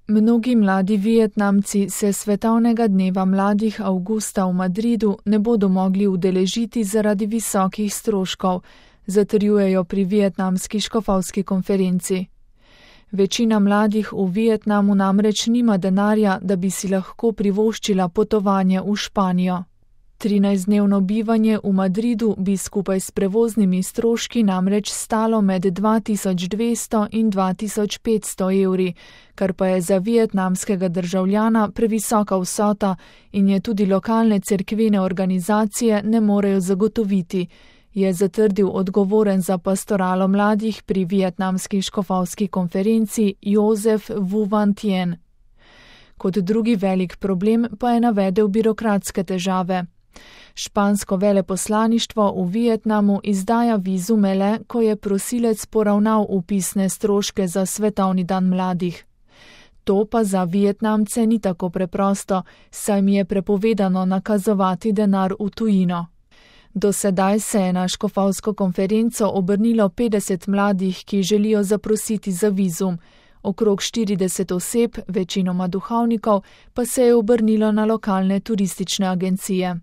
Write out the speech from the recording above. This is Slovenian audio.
Mnogi mladi Vietnamci se svetovnega dneva mladih avgusta v Madridu ne bodo mogli udeležiti zaradi visokih stroškov, zatrjujejo pri vietnamski škofovski konferenci. Večina mladih v Vietnamu namreč nima denarja, da bi si lahko privoščila potovanje v Španijo. 13-dnevno bivanje v Madridu bi skupaj s prevoznimi stroški namreč stalo med 2200 in 2500 evri, kar pa je za vietnamskega državljana previsoka vsota in je tudi lokalne cerkvene organizacije ne morejo zagotoviti, je zatrdil odgovoren za pastoralo mladih pri vietnamski škofovski konferenci Josef Vu Van Tien. Kot drugi velik problem pa je navedel birokratske težave. Špansko veleposlaništvo v Vietnamu izdaja vizume le, ko je prosilec poravnal vpisne stroške za svetovni dan mladih. To pa za Vietnamce ni tako preprosto, saj mi je prepovedano nakazovati denar v tujino. Do sedaj se je na škofovsko konferenco obrnilo 50 mladih, ki želijo zaprositi za vizum. Okrog 40 oseb, večinoma duhovnikov, pa se je obrnilo na lokalne turistične agencije.